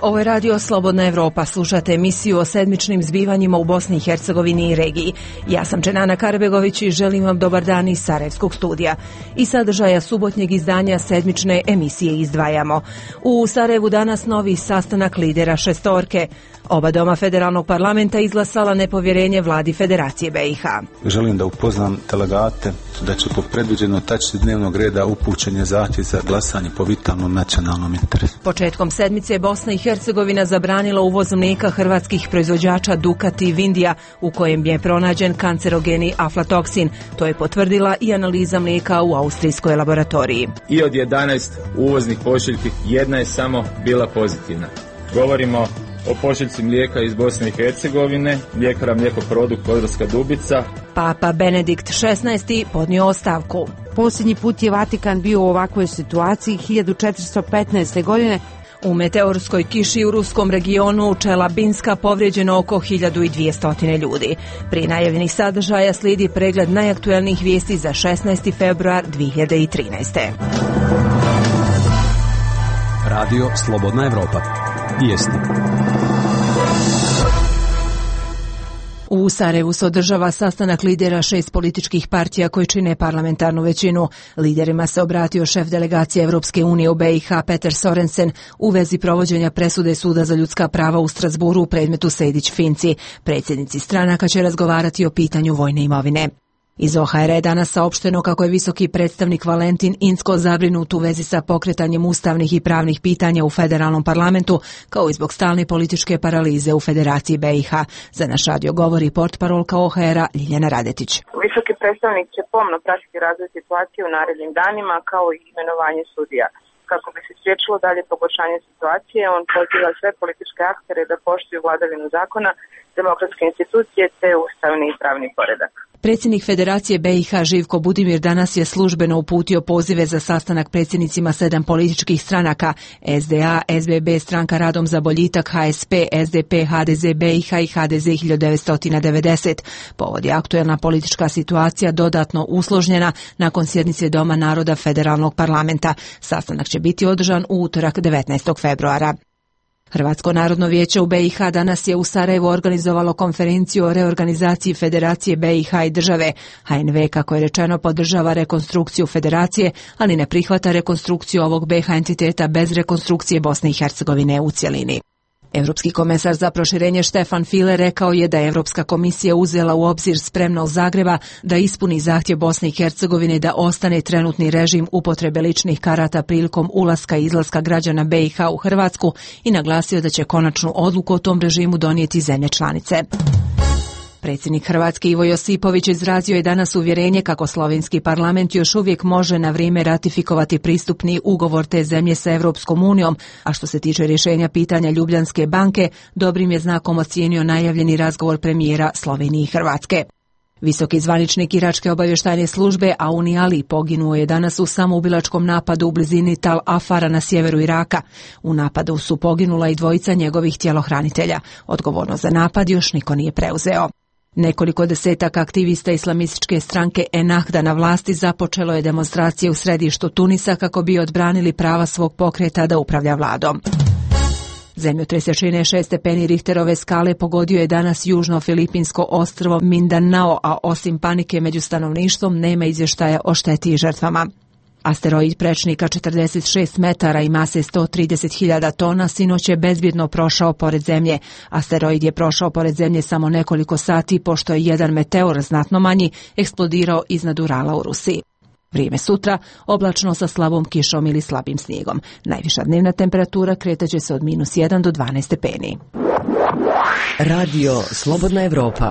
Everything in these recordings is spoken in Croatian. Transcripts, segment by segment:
Ovo je radio Slobodna Evropa. Slušate emisiju o sedmičnim zbivanjima u Bosni i Hercegovini i regiji. Ja sam Čenana Karbegović i želim vam dobar dan iz Sarajevskog studija. Iz sadržaja subotnjeg izdanja sedmične emisije izdvajamo. U Sarajevu danas novi sastanak lidera šestorke. Oba doma federalnog parlamenta izglasala nepovjerenje vladi Federacije BiH. Želim da upoznam delegate da će po predviđenoj tački dnevnog reda upućen je zahtjev za glasanje po vitalnom nacionalnom interesu. Početkom sedmice Bosna i Hercegovina zabranila uvoz mlijeka hrvatskih proizvođača Dukat i Vindija, u kojem je pronađen kancerogeni aflatoksin. To je potvrdila i analiza mlijeka u austrijskoj laboratoriji. I od 11 uvoznih pošiljki jedna je samo bila pozitivna. Govorimo o pošiljci mlijeka iz Bosne i Hercegovine, mljekara Mlijekoprodukt Podravska Dubica. Papa Benedikt XVI podnio ostavku. Posljednji put je Vatikan bio u ovakvoj situaciji 1415. godine. U meteorskoj kiši u ruskom regionu Čelabinska povrijeđeno oko 1200 ljudi. Prije najavljenih sadržaja slijedi pregled najaktuelnijih vijesti za 16. februar 2013. Radio Slobodna Evropa. Vijesti. U Sarajevu se održava sastanak lidera 6 političkih partija koji čine parlamentarnu većinu. Liderima se obratio šef delegacije Evropske unije u BiH Peter Sorensen u vezi provođenja presude Suda za ljudska prava u Strasburu u predmetu Sejdić-Finci. Predsjednici stranaka će razgovarati o pitanju vojne imovine. Iz OHR je danas saopšteno kako je visoki predstavnik Valentin Inzko zabrinut u vezi sa pokretanjem ustavnih i pravnih pitanja u federalnom parlamentu, kao i zbog stalne političke paralize u Federaciji BiH. Za naš radio govori portparolka OHR-a Ljiljana Radetić. Visoki predstavnik će pomno pratiti razvoj situacije u narednim danima, kao i imenovanje sudija. Kako bi se spriječilo dalje pogoršanje situacije, on poziva sve političke aktere da poštuju vladavinu zakona, demokratske institucije te ustavni i pravni poredak. Predsjednik Federacije BiH Živko Budimir danas je službeno uputio pozive za sastanak predsjednicima 7 političkih stranaka SDA, SBB, Stranka Radom za boljitak, HSP, SDP, HDZ BiH i HDZ 1990. Povod je aktuelna politička situacija dodatno usložnjena nakon sjednice Doma naroda Federalnog parlamenta. Sastanak će biti održan u utorak 19. februara. Hrvatsko narodno vijeće u BiH danas je u Sarajevu organizovalo konferenciju o reorganizaciji Federacije BiH i države. HNV, kako je rečeno, podržava rekonstrukciju Federacije, ali ne prihvata rekonstrukciju ovog BiH entiteta bez rekonstrukcije Bosne i Hercegovine u cjelini. Europski komesar za proširenje Štefan File rekao je da je Europska komisija uzela u obzir spremnost Zagreba da ispuni zahtjev Bosne i Hercegovine da ostane trenutni režim upotrebe ličnih karata prilikom ulaska i izlaska građana BiH u Hrvatsku i naglasio da će konačnu odluku o tom režimu donijeti zemlje članice. Predsjednik Hrvatske Ivo Josipović izrazio je danas uvjerenje kako slovenski parlament još uvijek može na vrijeme ratifikovati pristupni ugovor te zemlje sa Europskom unijom, a što se tiče rješenja pitanja Ljubljanske banke, dobrim je znakom ocijenio najavljeni razgovor premijera Slovenije i Hrvatske. Visoki zvaničnik iračke obavještajne službe Auni Ali poginuo je danas u samoubilačkom napadu u blizini Tal Afara na sjeveru Iraka. U napadu su poginula i dvojica njegovih tjelohranitelja. Odgovornost za napad još niko nije preuzeo. Nekoliko desetaka aktivista islamističke stranke Ennahda na vlasti započelo je demonstracije u središtu Tunisa kako bi odbranili prava svog pokreta da upravlja vladom. Zemljotres jačine 6 stepeni Richterove skale pogodio je danas južno filipinsko ostrvo Mindanao, a osim panike među stanovništvom nema izvještaja o šteti i žrtvama. Asteroid prečnika 46 metara i mase 130.000 tona sinoć je bezbjedno prošao pored Zemlje. Asteroid je prošao pored Zemlje samo nekoliko sati pošto je jedan meteor znatno manji eksplodirao iznad Urala u Rusiji. Vrijeme sutra, oblačno sa slabom kišom ili slabim snijegom. Najviša dnevna temperatura kretaće se od -1 do 12 stepeni. Radio Slobodna Evropa.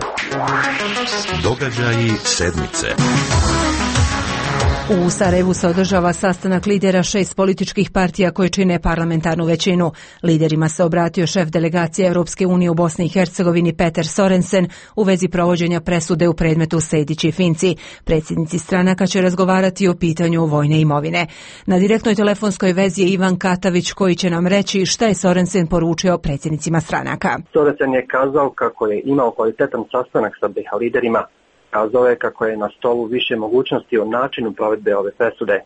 Događaji sedmice. U Sarajevu se održava sastanak lidera 6 političkih partija koje čine parlamentarnu većinu. Liderima se obratio šef delegacije Europske unije u Bosni i Hercegovini Peter Sorensen u vezi provođenja presude u predmetu Sejdić i Finci. Predsjednici stranaka će razgovarati o pitanju vojne imovine. Na direktnoj telefonskoj vezi je Ivan Katavić koji će nam reći šta je Sorensen poručio predsjednicima stranaka. Sorensen je kazao kako je imao kvalitetan sastanak sa BiH liderima. Kazao je kako je na stolu više mogućnosti o načinu provedbe ove presude.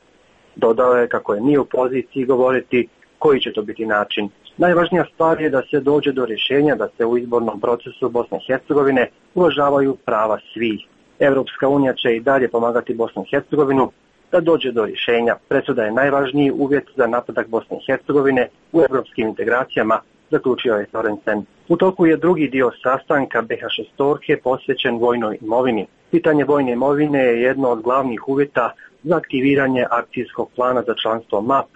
Dodao je kako je nije u poziciji govoriti koji će to biti način. Najvažnija stvar je da se dođe do rješenja da se u izbornom procesu Bosne i Hercegovine uvažavaju prava svih. Europska unija će i dalje pomagati Bosnu i Hercegovinu da dođe do rješenja. Presuda je najvažniji uvjet za napredak Bosne i Hercegovine u europskim integracijama, zaključio je Sorensen. U toku je drugi dio sastanka BH6 posvećen vojnoj imovini. Pitanje vojne imovine je jedno od glavnih uvjeta za aktiviranje akcijskog plana za članstvo MAP.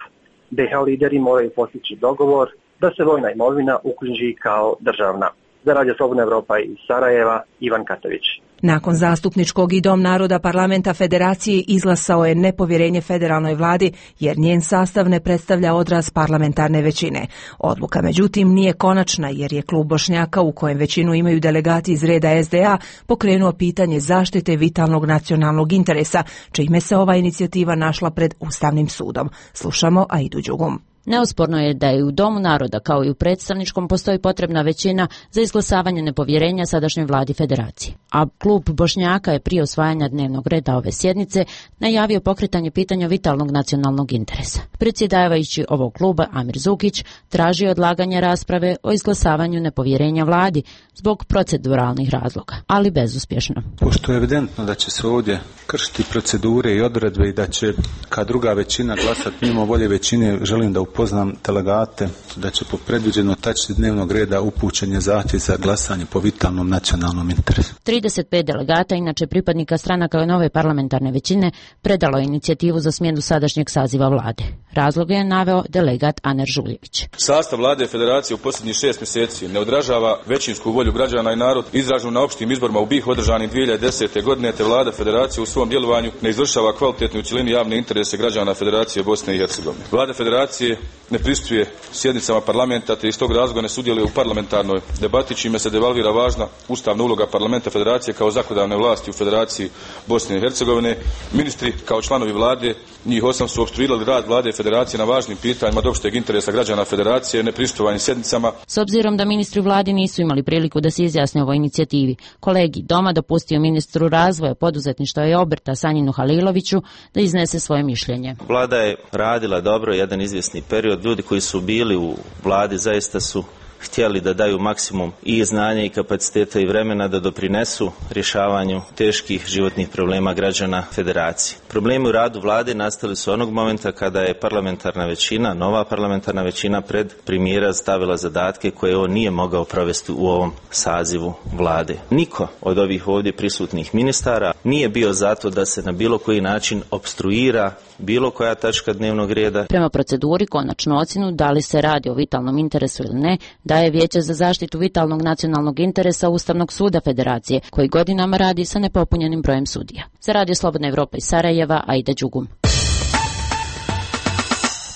BH lideri moraju postići dogovor da se vojna imovina uknjiži kao državna. Za Radio Slobodna Evropa iz Sarajeva, Ivan Katović. Nakon zastupničkog i Dom naroda parlamenta federacije izglasao je nepovjerenje federalnoj vladi jer njen sastav ne predstavlja odraz parlamentarne većine. Odluka međutim nije konačna jer je klub Bošnjaka u kojem većinu imaju delegati iz reda SDA pokrenuo pitanje zaštite vitalnog nacionalnog interesa, čime se ova inicijativa našla pred Ustavnim sudom. Slušamo Aidu Đugum. Neosporno je da je u Domu naroda kao i u predstavničkom postoji potrebna većina za izglasavanje nepovjerenja sadašnjoj vladi federacije. A klub Bošnjaka je prije usvajanja dnevnog reda ove sjednice najavio pokretanje pitanja vitalnog nacionalnog interesa. Predsjedavajući ovog kluba Amir Zukić traži odlaganje rasprave o izglasavanju nepovjerenja vladi zbog proceduralnih razloga, ali bezuspješno. Pošto je evidentno da će se ovdje kršiti procedure i odredbe i da će kad druga većina glasati mimo volje većine, želim da upoznam delegate da će po predviđenoj tački dnevnog reda upućen je zahtjev za glasanje po vitalnom nacionalnom interesu. 35 delegata, inače pripadnika stranaka nove parlamentarne većine, predalo je inicijativu za smjenu sadašnjeg saziva vlade. Razlog je naveo delegat Aner Žuljević. Sastav vlade federacije u posljednjih 6 mjeseci ne odražava većinsku volju građana i narod izraženu na opštim izborima u BiH održanim 2010. godine, te vlada federacije u svom djelovanju ne izvršava kvalitetnu u cjelini javne interese građana Federacije Bosne i Hercegovine. Vlada federacije ne pristupuje sjednicama parlamenta te iz tog razloga ne sudjeluje u parlamentarnoj debati, čime se devalvira važna ustavna uloga parlamenta federacije kao zakonodavne vlasti u Federaciji Bosne i Hercegovine. Ministri kao članovi vlade, njih 8, su opstruirali rad vlade federacije na važnim pitanjima od opšteg interesa građana federacije, neprisustovanjem sjednicama. S obzirom da ministri vladi nisu imali priliku da se izjasne o ovoj inicijativi, kolegi Doma dopustio ministru razvoja, poduzetništva i obrta Sanjinu Haliloviću da iznese svoje mišljenje. Vlada je radila dobro jedan izvjesni period. Ljudi koji su bili u vladi zaista su htjeli da daju maksimum i znanja i kapaciteta i vremena da doprinesu rješavanju teških životnih problema građana federacije. Problemi u radu vlade nastali su onog momenta kada je parlamentarna većina, nova parlamentarna većina pred premijera stavila zadatke koje on nije mogao provesti u ovom sazivu vlade. Niko od ovih ovdje prisutnih ministara nije bio zato da se na bilo koji način opstruira bilo koja tačka dnevnog reda. Prema proceduri konačnu ocjenu da li se radi o vitalnom interesu ili ne daje Vijeće za zaštitu vitalnog nacionalnog interesa Ustavnog suda Federacije, koji godinama radi sa nepopunjenim brojem sudija. Za Radio Slobodna Evropa iz Sarajeva, Aida Đugum.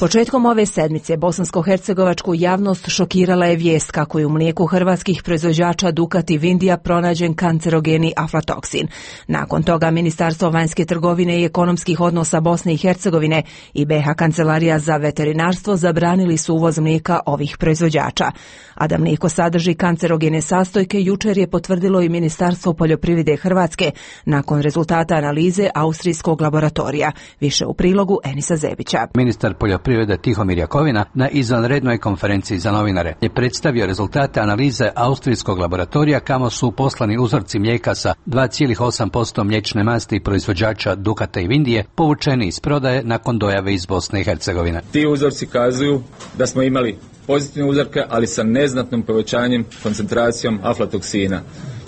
Početkom ove sedmice bosansko-hercegovačku javnost šokirala je vijest kako je u mlijeku hrvatskih proizvođača Ducati Vindija pronađen kancerogeni aflatoksin. Nakon toga Ministarstvo vanjske trgovine i ekonomskih odnosa Bosne i Hercegovine i BiH Kancelarija za veterinarstvo zabranili su uvoz mlijeka ovih proizvođača. A da mlijeko sadrži kancerogene sastojke jučer je potvrdilo i Ministarstvo poljoprivrede Hrvatske nakon rezultata analize austrijskog laboratorija. Više u prilogu Enisa Zebića. Ministar poljoprivrede Tihomir Jakovina na izvanrednoj konferenciji za novinare je predstavio rezultate analize austrijskog laboratorija kamo su poslani uzorci mlijeka sa 2,8% mliječne masti proizvođača Ducata i Vindije povučeni iz prodaje nakon dojave iz Bosne i Hercegovine. Ti uzorci kazuju da smo imali pozitivne uzorke, ali sa neznatnim povećanjem koncentracijom aflatoksina.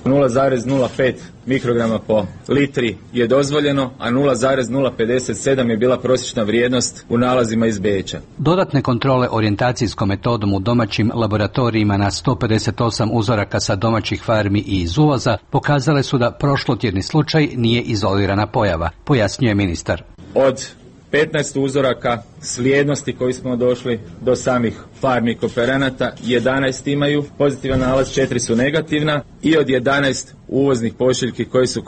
0,05 mikrograma po litri je dozvoljeno, a 0,057 je bila prosječna vrijednost u nalazima iz Beča. Dodatne kontrole orijentacijskom metodom u domaćim laboratorijima na 158 uzoraka sa domaćih farmi i iz uvoza pokazale su da prošlotjedni slučaj nije izolirana pojava, pojasnjuje ministar. Od 15 uzoraka slijednosti koji smo došli do samih farmi kooperanata, 11 imaju pozitivan nalaz, 4 su negativna i od 11 uvoznih pošiljki koji su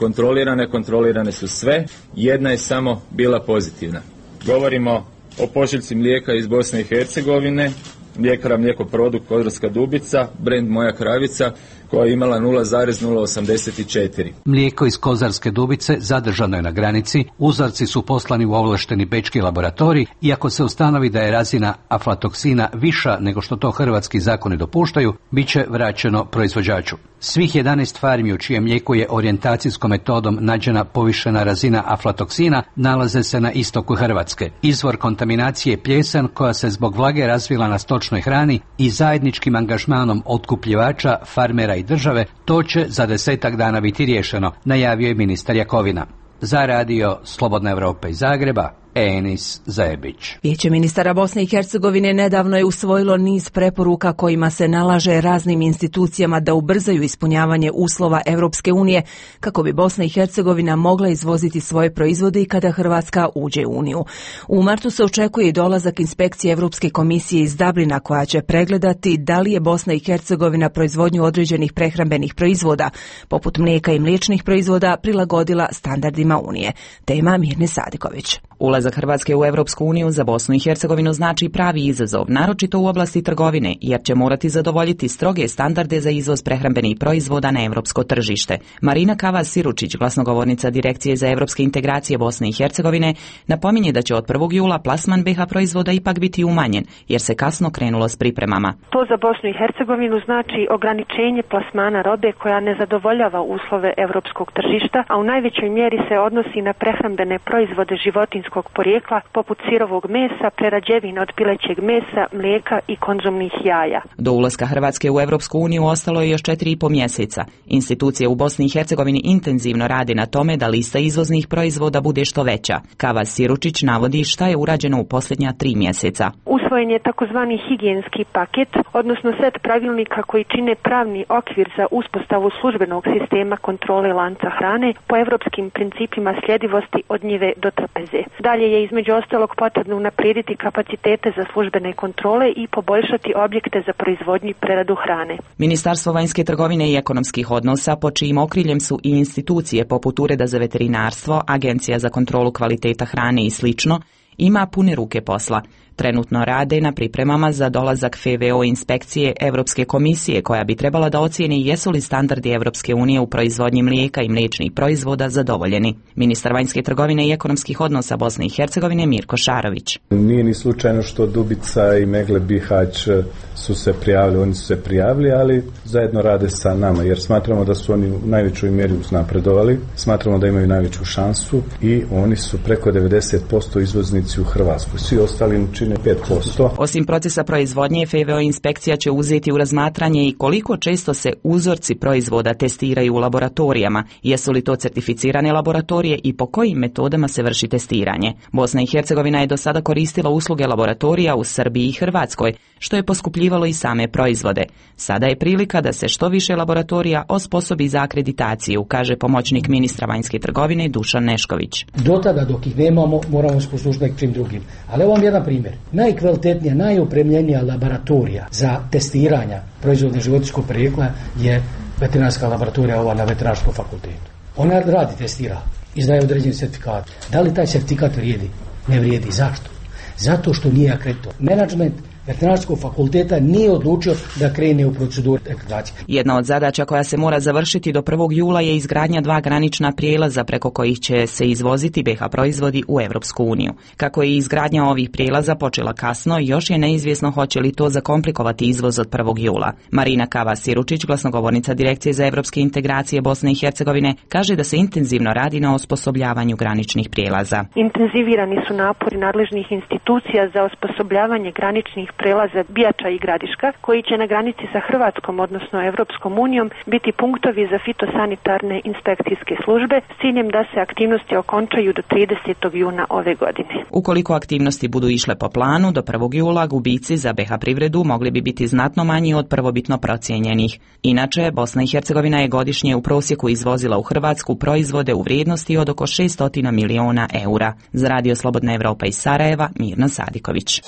kontrolirane su sve, jedna je samo bila pozitivna. Govorimo o pošiljci mlijeka iz Bosne i Hercegovine, mljekara Mlijeko Produkt Podravska Dubica, brend Moja Kravica, koja je imala 0,084. Mlijeko iz Kozarske Dubice zadržano je na granici, uzorci su poslani u ovlašteni bečki laboratorij i ako se ustanovi da je razina aflatoksina viša nego što to hrvatski zakoni dopuštaju, bit će vraćeno proizvođaču. Svih 11 farmi u čijem mlijeku je orijentacijskom metodom nađena povišena razina aflatoksina nalaze se na istoku Hrvatske. Izvor kontaminacije je plijesan koja se zbog vlage razvila na stočnoj hrani i zajedničkim angažmanom otkupljivača, farmera i države to će za 10 dana biti riješeno, najavio je ministar Jakovina. Za radio Slobodna Evropa iz Zagreba, Enis Zajebić. Vijeće ministara Bosne i Hercegovine nedavno je usvojilo niz preporuka kojima se nalaže raznim institucijama da ubrzaju ispunjavanje uslova Europske unije kako bi Bosna i Hercegovina mogla izvoziti svoje proizvode i kada Hrvatska uđe u Uniju. U martu se očekuje i dolazak inspekcije Europske komisije iz Dublina koja će pregledati da li je Bosna i Hercegovina proizvodnju određenih prehrambenih proizvoda, poput mlijeka i mliječnih proizvoda, prilagodila standardima Unije. Tema Mirne Sadiković. Ulazak Hrvatske u Europsku uniju za Bosnu i Hercegovinu znači pravi izazov, naročito u oblasti trgovine, jer će morati zadovoljiti stroge standarde za izvoz prehrambenih proizvoda na europsko tržište. Marina Kavas-Siručić, glasnogovornica Direkcije za europske integracije Bosne i Hercegovine, napominje da će od 1. jula plasman BiH proizvoda ipak biti umanjen, jer se kasno krenulo s pripremama. To za Bosnu i Hercegovinu znači ograničenje plasmana robe koja ne zadovoljava uslove europskog tržišta, a u najvećoj mjeri se odnosi na prehrambene proizvode životinjskog porijekla poput sirovog mesa, prerađevina od pilećeg mesa, mlijeka i konzumnih jaja. Do ulaska Hrvatske u Europsku uniju ostalo je još 4,5 mjeseca. Institucije u Bosni i Hercegovini intenzivno rade na tome da lista izvoznih proizvoda bude što veća. Kavas-Siručić navodi šta je urađeno u posljednja 3 mjeseca. Usvojen je takozvani higijenski paket, odnosno set pravilnika koji čine pravni okvir za uspostavu službenog sistema kontrole lanca hrane po europskim principima sljedivosti od njive do trpeze. Dalje je između ostalog potrebno unaprijediti kapacitete za službene kontrole i poboljšati objekte za proizvodnju i preradu hrane. Ministarstvo vanjske trgovine i ekonomskih odnosa, pod čijim okriljem su i institucije poput Ureda za veterinarstvo, Agencija za kontrolu kvaliteta hrane i slično, ima pune ruke posla. Trenutno rade na pripremama za dolazak FVO inspekcije Europske komisije koja bi trebala da ocijeni jesu li standardi Europske unije u proizvodnji mlijeka i mliječnih proizvoda zadovoljeni. Ministar vanjske trgovine i ekonomskih odnosa Bosne i Hercegovine Mirko Šarović. Nije ni slučajno što Dubica i Megle Bihać su se prijavili, oni su se prijavili, ali zajedno rade sa nama jer smatramo da su oni u najvećoj mjeri uznapredovali, smatramo da imaju najveću šansu i oni su preko 90% izvoznici u Hrvatskoj. Svi ostali čine 5%. Osim procesa proizvodnje, FVO inspekcija će uzeti u razmatranje i koliko često se uzorci proizvoda testiraju u laboratorijama, jesu li to certificirane laboratorije i po kojim metodama se vrši testiranje. Bosna i Hercegovina je do sada koristila usluge laboratorija u Srbiji i Hrvatskoj, što je poskupljivalo i same proizvode. Sada je prilika da se što više laboratorija osposobi za akreditaciju, kaže pomoćnik ministra vanjske trgovine Dušan Nešković. Do tada dok ih nemamo, moramo se poslužiti nekim drugim. Ali evo vam jedan primjer. Najkvalitetnija, najopremljenija laboratorija za testiranja proizvoda životinjskog porijekla je veterinarska laboratorija ova na Veterinarskom fakultetu. Ona radi, testira, izdaje određeni certifikat. Da li taj certifikat vrijedi? Ne vrijedi. Zašto? Zato što nije akreditovan. Menadžment Veterinarskog fakulteta nije odlučio da krene u proceduru akreditacije. Jedna od zadaća koja se mora završiti do 1. jula je izgradnja 2 granična prijelaza preko kojih će se izvoziti BiH proizvodi u Europsku uniju. Kako je izgradnja ovih prijelaza počela kasno, još je neizvjesno hoće li to zakomplikovati izvoz od 1. jula. Marina Kavas-Siručić, glasnogovornica Direkcije za europske integracije Bosne i Hercegovine, kaže da se intenzivno radi na osposobljavanju graničnih prijelaza. Intenzivirani su napori nadležnih institucija za osposobljavanje graničnih prelaza Bijača i Gradiška, koji će na granici sa Hrvatskom, odnosno Europskom unijom, biti punktovi za fitosanitarne inspekcijske službe s ciljem da se aktivnosti okončaju do 30. juna ove godine. Ukoliko aktivnosti budu išle po planu, do 1. jula gubici za BiH privredu mogli bi biti znatno manji od prvobitno procijenjenih. Inače, Bosna i Hercegovina je godišnje u prosjeku izvozila u Hrvatsku proizvode u vrijednosti od oko 600 miliona eura. Za radio Slobodna Evropa iz Sarajeva, Mirna Sadiković.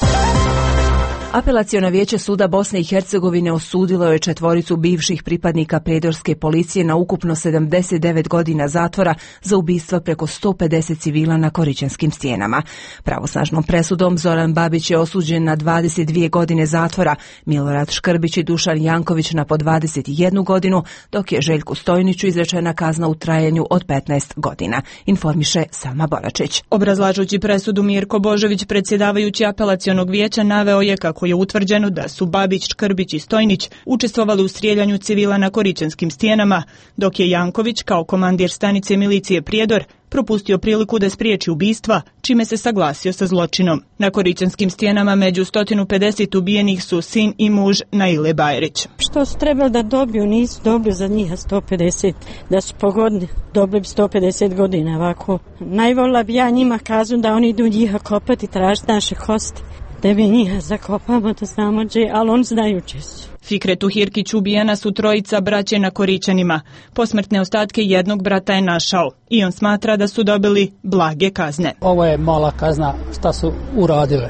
Apelaciono vijeće suda Bosne i Hercegovine osudilo je 4 bivših pripadnika predorske policije na ukupno 79 godina zatvora za ubistva preko 150 civila na Koričanskim stijenama. Pravosnažnom presudom Zoran Babić je osuđen na 22 godine zatvora, Milorad Škrbić i Dušan Janković na po 21 godinu, dok je Željku Stojniću izrečena kazna u trajanju od 15 godina, informiše Sama Boračić. Obrazlažući presudu, Mirko Božović, predsjedavajući apelacionog vijeća, naveo je kako je utvrđeno da su Babić, Škrbić i Stojnić učestvovali u strijeljanju civila na Koričanskim stijenama, dok je Janković kao komandir stanice milicije Prijedor propustio priliku da spriječi ubistva, čime se saglasio sa zločinom. Na Koričanskim stijenama među 150 ubijenih su sin i muž Naile Bajrić. Što su trebali da dobiju, nisu dobili za njih 150, da su pogodni, dobili 150 godina ovako. Najvolila bi ja njima kažu da oni idu njiha kopati, tražiti naše kosti, da mi njiha zakopamo, da znamo gdje, ali oni znaju gdje su. Fikretu Hirkić ubijena su 3 braće na Koričanima. Posmrtne ostatke jednog brata je našao i on smatra da su dobili blage kazne. Ovo je mala kazna šta su uradile.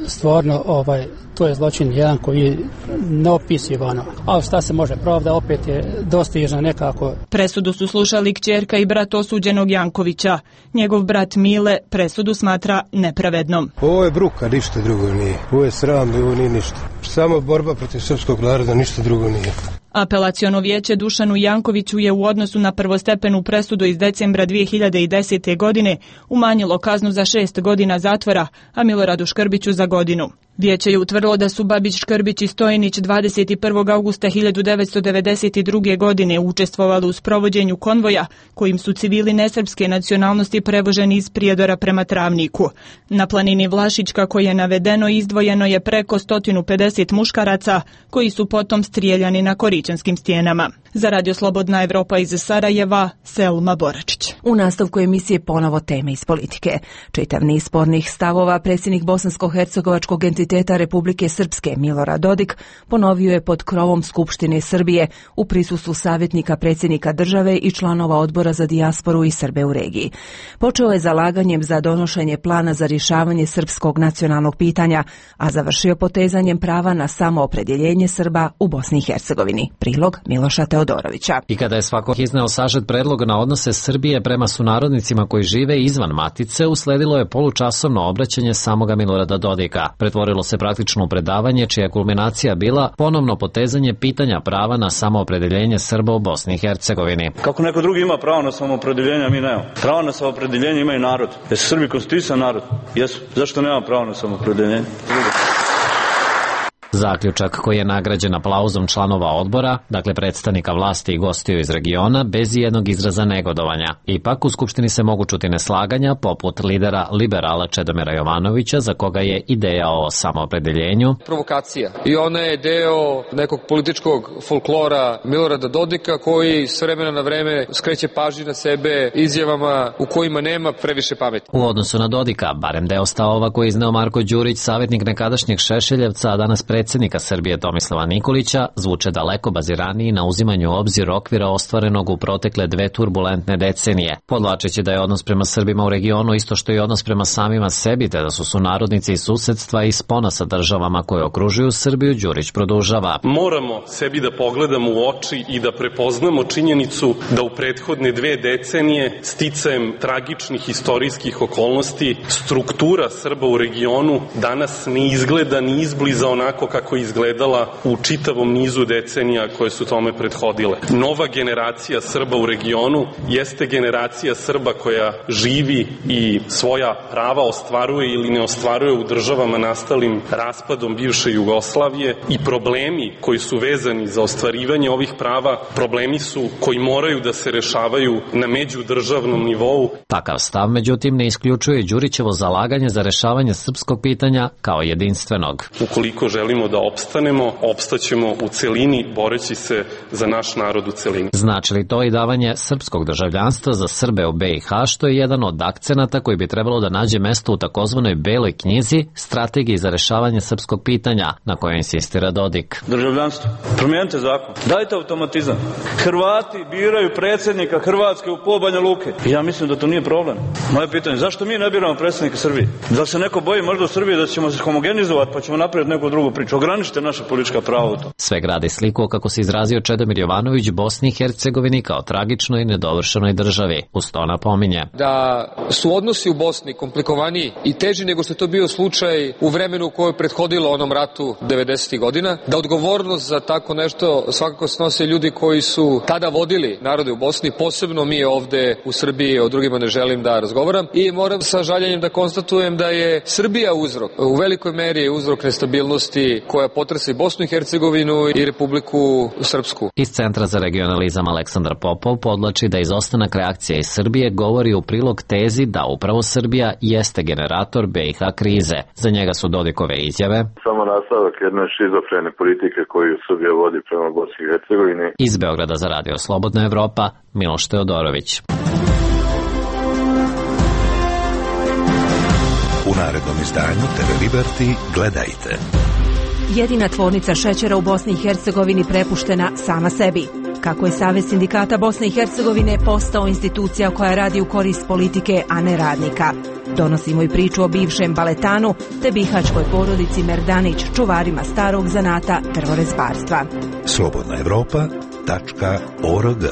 Stvarno, to je zločin jedan koji je neopisivano. A šta se može, pravda opet je dostižna nekako. Presudu su slušali kćerka i brat osuđenog Jankovića. Njegov brat Mile presudu smatra nepravednom. Ovo je bruka, ništa drugo nije. Ovo je sram, ovo nije ništa. Samo borba protiv srpskog naroda, ništa drugo nije. Apelaciono vijeće Dušanu Jankoviću je u odnosu na prvostepenu presudu iz decembra 2010. godine umanjilo kaznu za 6 godina zatvora, a Miloradu Škrbiću za godinu. Vijeće je utvrdilo da su Babić, Škrbić i Stojnić 21. augusta 1992. godine učestvovali u sprovođenju konvoja kojim su civili nesrpske nacionalnosti prevoženi iz Prijedora prema Travniku. Na planini Vlašić, kako je navedeno, izdvojeno je preko 150 muškaraca koji su potom strijeljani na Koričanskim stijenama. Za Radio Slobodna Evropa iz Sarajeva, Selma Boračić. U nastavku emisije ponovo teme iz politike. Čitav niz spornih stavova predsjednik Bosansko-hercegovačkog entiteta Republike Srpske Milorad Dodik ponovio je pod krovom Skupštine Srbije u prisustvu savjetnika predsjednika države i članova odbora za dijasporu i Srbe u regiji. Počeo je zalaganjem za donošenje plana za rješavanje srpskog nacionalnog pitanja, a završio potezanjem prava na samoopredjeljenje Srba u Bosni i Hercegovini. Prilog Miloša Teodorovića. I kada je svako izneo sažet predlog na odnose Srbije prema sunarodnicima koji žive izvan matice, usledilo je polučasovno obraćanje samoga Milorada Dodika. Pretvorilo se praktično u predavanje čija je kulminacija bila ponovno potezanje pitanja prava na samoopredeljenje Srba u Bosni i Hercegovini. Kako neko drugi ima pravo na samoopredeljenje, mi nemamo. Pravo na samoopredeljenje imaju narod. Jesu Srbi konstituisan narod? Jesu. Zašto nema pravo na samoopredeljenje? Zaključak koji je nagrađen aplauzom članova odbora, dakle predstavnika vlasti i gostiju iz regiona, bez jednog izraza negodovanja. Ipak u Skupštini se mogu čuti neslaganja, poput lidera liberala Čedomira Jovanovića, za koga je ideja o samoopredeljenju provokacija. I ona je deo nekog političkog folklora Milorada Dodika, koji s vremena na vreme skreće pažnju na sebe izjavama u kojima nema previše pameti. U odnosu na Dodika, barem deo stavova koji izneo Marko Đurić, savjetnik nekadašnjeg Šešeljevca, a danas predsjednika Srbije Tomislava Nikolića, zvuče daleko baziraniji na uzimanju u obzir okvira ostvarenog u protekle 2 turbulentne decenije. Podvlačeći da je odnos prema Srbima u regionu isto što i odnos prema samima sebi, te da su sunarodnici iz susedstva i spona sa državama koje okružuju Srbiju, Đurić produžava. Moramo sebi da pogledamo u oči i da prepoznamo činjenicu da u prethodne 2 decenije, sticajem tragičnih istorijskih okolnosti, struktura Srba u regionu danas ne izgleda ni izbliza onako kako je izgledala u čitavom nizu decenija koje su tome prethodile. Nova generacija Srba u regionu jeste generacija Srba koja živi i svoja prava ostvaruje ili ne ostvaruje u državama nastalim raspadom bivše Jugoslavije i problemi koji su vezani za ostvarivanje ovih prava, problemi su koji moraju da se rešavaju na međudržavnom nivou. Takav stav, međutim, ne isključuje Đurićevo zalaganje za rešavanje srpskog pitanja kao jedinstvenog. Ukoliko želimo da opstanemo, opstaćemo u celini, boreći se za naš narod u celini. Znači li to i davanje srpskog državljanstva za Srbe u BiH, što je jedan od akcenata koji bi trebalo da nađe mesto u takozvanoj beloj knjizi Strategiji za rešavanje srpskog pitanja, na kojoj insistira Dodik. Državljanstvo. Promijenite zakon. Dajte automatizam. Hrvati biraju predsjednika Hrvatske u pol Banja Luke. Ja mislim da to nije problem. Moje pitanje, zašto mi ne biramo predsjednika Srbije? Da se neko boji možda u Srbiji da ćemo se homogenizovati pa ćemo napraviti neku drugu priču? ograničiti. Ograničite naše politička prava u to. Sve gradi sliku, kako se izrazio Čedomir Jovanović, Bosni i Hercegovini kao tragičnoj i nedovršenoj državi. Uz to napominje da su odnosi u Bosni komplikovaniji i teži nego što je to bio slučaj u vremenu u kojoj je prethodilo onom ratu 90. godina, da odgovornost za tako nešto svakako snose ljudi koji su tada vodili narode u Bosni, posebno mi ovde u Srbiji, o drugima ne želim da razgovaram, i moram sa žaljenjem da konstatujem da je Srbija uzrok, u velikoj meri je uzrok nestabilnosti koja potresa i Bosnu i Hercegovinu i Republiku Srpsku. Iz Centra za regionalizam Aleksandar Popov podlači da izostanak reakcije iz Srbije govori u prilog tezi da upravo Srbija jeste generator BiH krize. Za njega su Dodikove izjave samo nastavak jedne šizofrene politike koju Srbija vodi prema Bosni i Hercegovini. Iz Beograda za Radio Slobodna Evropa, Miloš Teodorović. U narednom izdanju TV Liberty gledajte. Jedina tvornica šećera u Bosni i Hercegovini prepuštena sama sebi. Kako je Savez sindikata Bosne i Hercegovine postao institucija koja radi u korist politike, a ne radnika. Donosimo i priču o bivšem baletanu te bihačkoj porodici Merdanić, čuvarima starog zanata drvorezbarstva. slobodnaevropa.org.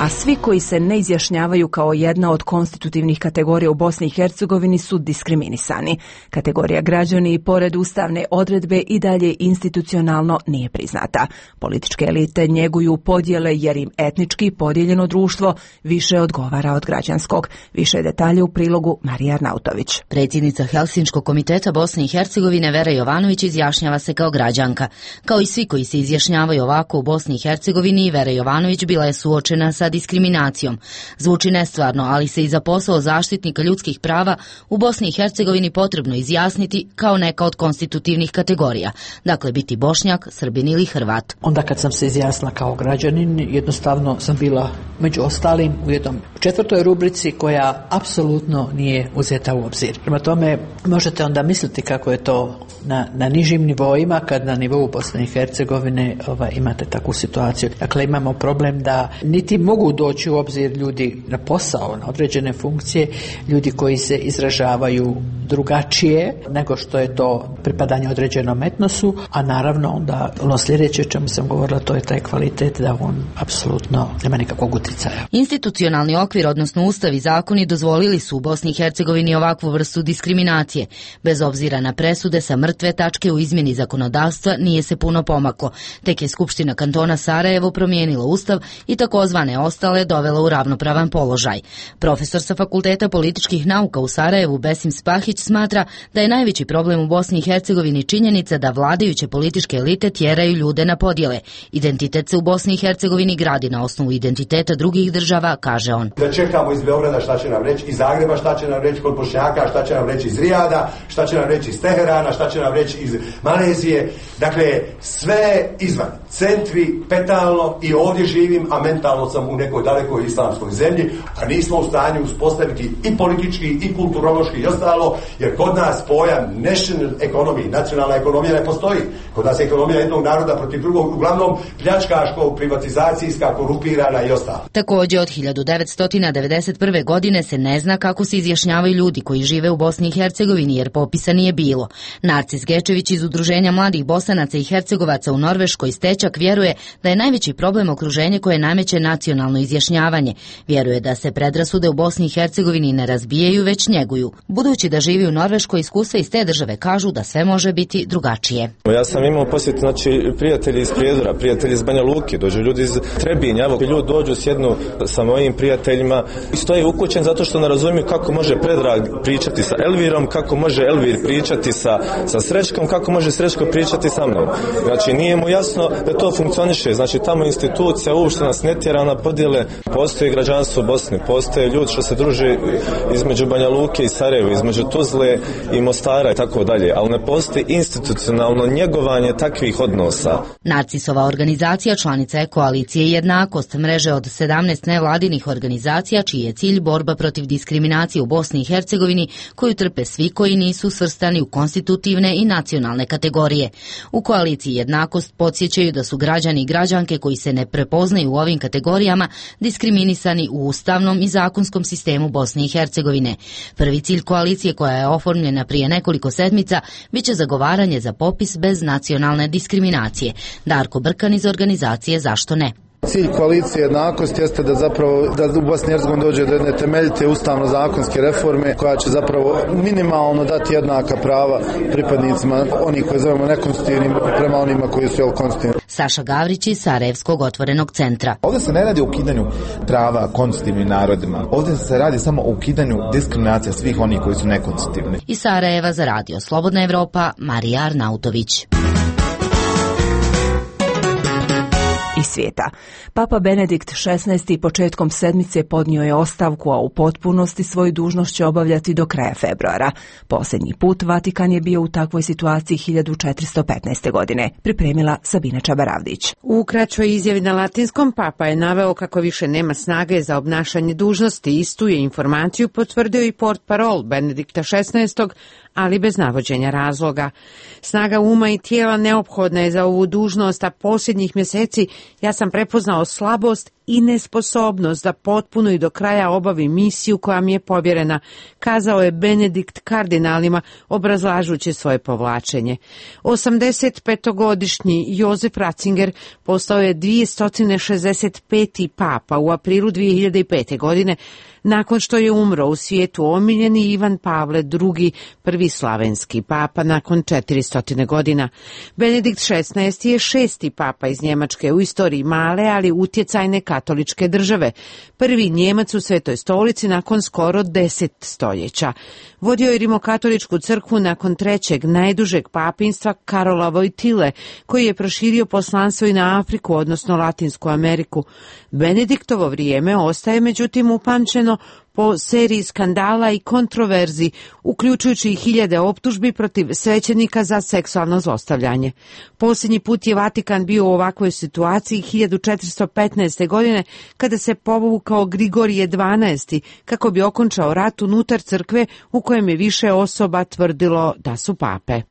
A svi koji se ne izjašnjavaju kao jedna od konstitutivnih kategorija u Bosni i Hercegovini su diskriminisani. Kategorija građani i pored ustavne odredbe i dalje institucionalno nije priznata. Političke elite njeguju podjele jer im etnički podijeljeno društvo više odgovara od građanskog. Više detalje u prilogu Marija Arnautović. Predsjednica Helsinškog komiteta Bosne i Hercegovine Vera Jovanović izjašnjava se kao građanka. Kao i svi koji se izjašnjavaju ovako u Bosni i Hercegovini, Vera Jovanović bila je suočena sa diskriminacijom. Zvuči nestvarno, ali se i za posao zaštitnika ljudskih prava u Bosni i Hercegovini potrebno izjasniti kao neka od konstitutivnih kategorija. Dakle, biti Bošnjak, Srbin ili Hrvat. Onda kad sam se izjasnila kao građanin, jednostavno sam bila među ostalim u jednom 4. rubrici koja apsolutno nije uzeta u obzir. Prema tome, možete onda misliti kako je to na nižim nivoima, kad na nivou Bosne i Hercegovine imate takvu situaciju. Dakle, imamo problem da niti mogu doći u obzir ljudi na posao, na određene funkcije, ljudi koji se izražavaju drugačije nego što je to pripadanje određenom etnosu, a naravno onda ono sljedeće o čemu sam govorila, to je taj kvalitet da on apsolutno nema nikakvog utjecaja. Institucionalni okvir, odnosno ustav i zakoni dozvolili su u Bosni i Hercegovini ovakvu vrstu diskriminacije. Bez obzira na presude sa mrtve tačke u izmjeni zakonodavstva nije se puno pomaklo. Tek je Skupština kantona Sarajevo promijenila ustav i takozvane ostale dovela u ravnopravan položaj. Profesor sa Fakulteta političkih nauka u Sarajevu Besim Spahić smatra da je najveći problem u Bosni i Hercegovini činjenica da vladajuće političke elite tjeraju ljude na podjele. Identitet se u Bosni i Hercegovini gradi na osnovu identiteta drugih država, kaže on. Da čekamo iz Beograda šta će nam reći, iz Zagreba šta će nam reći kod Bošnjaka, šta će nam reći iz Rijada, šta će nam reći iz Teherana, šta će nam reći iz Malezije. Dakle, sve izvan. Centri, petalno, i ovdje živim, a mentalno sam u nekoj dalekoj islamskoj zemlji, a nismo u stanju uspostaviti i politički, i kulturološki i ostalo, jer kod nas pojam national economy, nacionalna ekonomija ne postoji. Kod nas je ekonomija jednog naroda protiv drugog, uglavnom pljačkaško, privatizacijska, korumpirana i ostalo. Također od 1991. godine se ne zna kako se izjašnjavaju ljudi koji žive u Bosni i Hercegovini, jer popisa nije bilo. Narcis Gečević iz Udruženja mladih Bosanaca i Hercegovaca u Norveškoj Stečak vjeruje da je najveći problem okruženje koje nameće nacionalno izjašnjavanje. Vjeruje da se predrasude u Bosni i Hercegovini ne razbijaju, već njeguju. Budući da živi u Norveškoj, iskustva iz te države kažu da sve može biti drugačije. Ja sam imao posjet, prijatelji iz Prijedora, prijatelji iz Banja Luke, dođu ljudi iz Trebinja, evo ljudi dođu, sjednu sa mojim prijateljima i stoje ukućen zato što ne razumiju kako može Predrag pričati sa Elvirom, kako može Elvir pričati sa Srećkom, kako može Srećko pričati sa mnom. Znači nije mu jasno da to funkcioniše, znači tamo institucija uopšte nas ne tjera na podjele, postoji građanstvo Bosne, postoje ljudi što se druže između Banja Luke i Sarajeva, između Tuzle i Mostara i tako dalje, ali ne postoji institucionalno njegovanje takvih odnosa. Narcisova organizacija članica je koalicije Jednakost, mreže od 17 nevladinih organizacija čiji je cilj borba protiv diskriminacije u Bosni i Hercegovini, koju trpe svi koji nisu svrstani u konstitutivne rodne i nacionalne kategorije. U koaliciji Jednakost podsjećaju da su građani i građanke koji se ne prepoznaju u ovim kategorijama diskriminisani u ustavnom i zakonskom sistemu Bosne i Hercegovine. Prvi cilj koalicije, koja je oformljena prije nekoliko sedmica, biće zagovaranje za popis bez nacionalne diskriminacije. Darko Brkan iz organizacije Zašto ne? Cilj koalicije Jednakost jeste da zapravo da u Bosni i Hercegovini dođe do jedne temeljite ustavno-zakonske reforme koja će zapravo minimalno dati jednaka prava pripadnicima onih koje zovemo nekonstitutivnim prema onima koji su konstitutivni. Saša Gavrić iz Sarajevskog otvorenog centra. Ovdje se ne radi o ukidanju prava konstitutivnim narodima. Ovdje se radi samo o ukidanju diskriminacija svih onih koji su nekonstitutivni. Iz Sarajeva za radio Slobodna Evropa, Marija Arnautović. Iz svijeta. Papa Benedikt XVI. Početkom sedmice podnio je ostavku, a u potpunosti svoju dužnost će obavljati do kraja februara. Posljednji put Vatikan je bio u takvoj situaciji 1415. godine. Pripremila Sabina Čabaravdić. U kraćoj izjavi na latinskom Papa je naveo kako više nema snage za obnašanje dužnosti. Istu je informaciju potvrdio i portparol Benedikta XVI., ali bez navođenja razloga. Snaga uma i tijela neophodna je za ovu dužnost, a posljednjih mjeseci ja sam prepoznao slabost i nesposobnost da potpuno i do kraja obavi misiju koja mi je povjerena, kazao je Benedikt kardinalima obrazlažući svoje povlačenje. 85-godišnji Jozef Ratzinger postao je 265. papa u aprilu 2005. godine, nakon što je umro u svijetu omiljeni Ivan Pavle II, prvi slavenski papa nakon 400 godina. Benedikt XVI je 6. papa iz Njemačke u istoriji male, ali utjecajne katoličke države. Prvi Njemac u Svetoj stolici nakon skoro 10 stoljeća. Vodio je rimokatoličku crkvu nakon trećeg najdužeg papinstva Karola Vojtile, koji je proširio poslanstvo i na Afriku, odnosno Latinsku Ameriku. Benediktovo vrijeme ostaje međutim upamćeno po seriji skandala i kontroverzi, uključujući i hiljade optužbi protiv svećenika za seksualno zlostavljanje. Posljednji put je Vatikan bio u ovakvoj situaciji 1415. godine, kada se povukao Grigorije XII. Kako bi okončao rat unutar crkve u kojem je više osoba tvrdilo da su pape.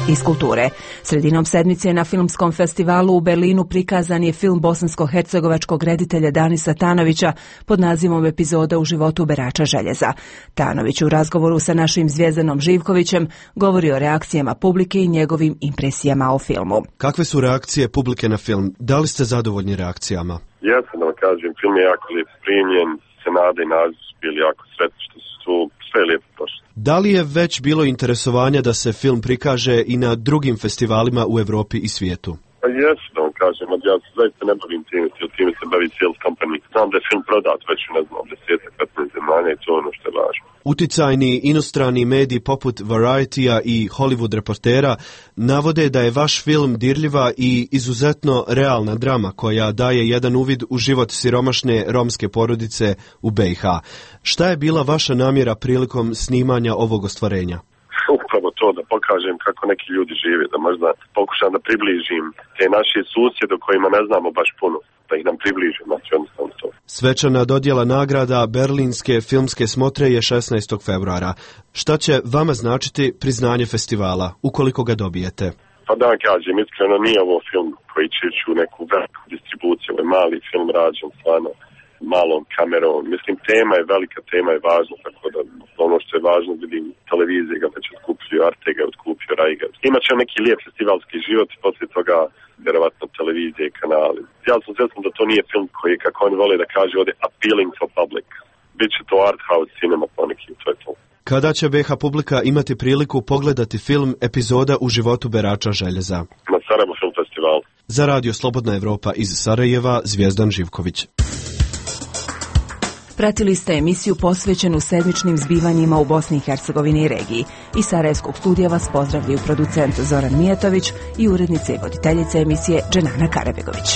Iz kulture. Sredinom sedmice na filmskom festivalu u Berlinu prikazan je film bosansko-hercegovačkog reditelja Danisa Tanovića pod nazivom Epizoda u životu berača željeza. Tanović u razgovoru sa našim Zvjezdanom Živkovićem govori o reakcijama publike i njegovim impresijama o filmu. Kakve su reakcije publike na film? Da li ste zadovoljni reakcijama? Ja sam da vam kažem, film je jako lijep primljen, Senada i Naziv su bili jako sretni što su tu, sve je lijepo prošlo. Da li je već bilo interesovanja da se film prikaže i na drugim festivalima u Europi i svijetu? Pa jesu, da vam kažem, ja se zaista ne bavim time se bavi sales company. Znam da je film prodat već, ne znam, 10-15 zemalja i to je ono što je važno. Uticajni inostrani mediji poput Variety-a i Hollywood Reportera navode da je vaš film dirljiva i izuzetno realna drama koja daje jedan uvid u život siromašne romske porodice u BiH. Šta je bila vaša namjera prilikom snimanja ovog ostvarenja? Upravo to, da pokažem kako neki ljudi žive, da možda pokušam da približim te naše susjede o kojima ne znamo baš puno, da ih nam približim, znači jednostavno to. Svečana dodjela nagrada Berlinske filmske smotre je 16. februara. Šta će vama značiti priznanje festivala, ukoliko ga dobijete? Pa da vam kažem, iskreno nije ovo film koji će ići u neku veliku distribuciju, ovo je mali film rađen stvarno malom kamerom. Mislim, tema je velika, tema je važna, tako da ono što je važno, vidim televizije ga već otkupio, Arte ga otkupio, Rajga. Imaće neki lijep festivalski život i poslije toga vjerovatno televizije i kanali. Ja sam svjestan da to nije film koji, kako oni vole da kaže ovdje, appealing for public. Biće to art house cinema poneki, to je to. Kada će BiH publika imati priliku pogledati film Epizoda u životu berača željeza? Na Sarajevo film festival. Za radio Slobodna Evropa iz Sarajeva, Zvjezdan Živković. Pratili ste emisiju posvećenu sedmičnim zbivanjima u Bosni i Hercegovini i regiji. Iz Sarajevskog studija vas pozdravljaju producent Zoran Mijatović i urednica i voditeljica emisije Dženana Karabegović.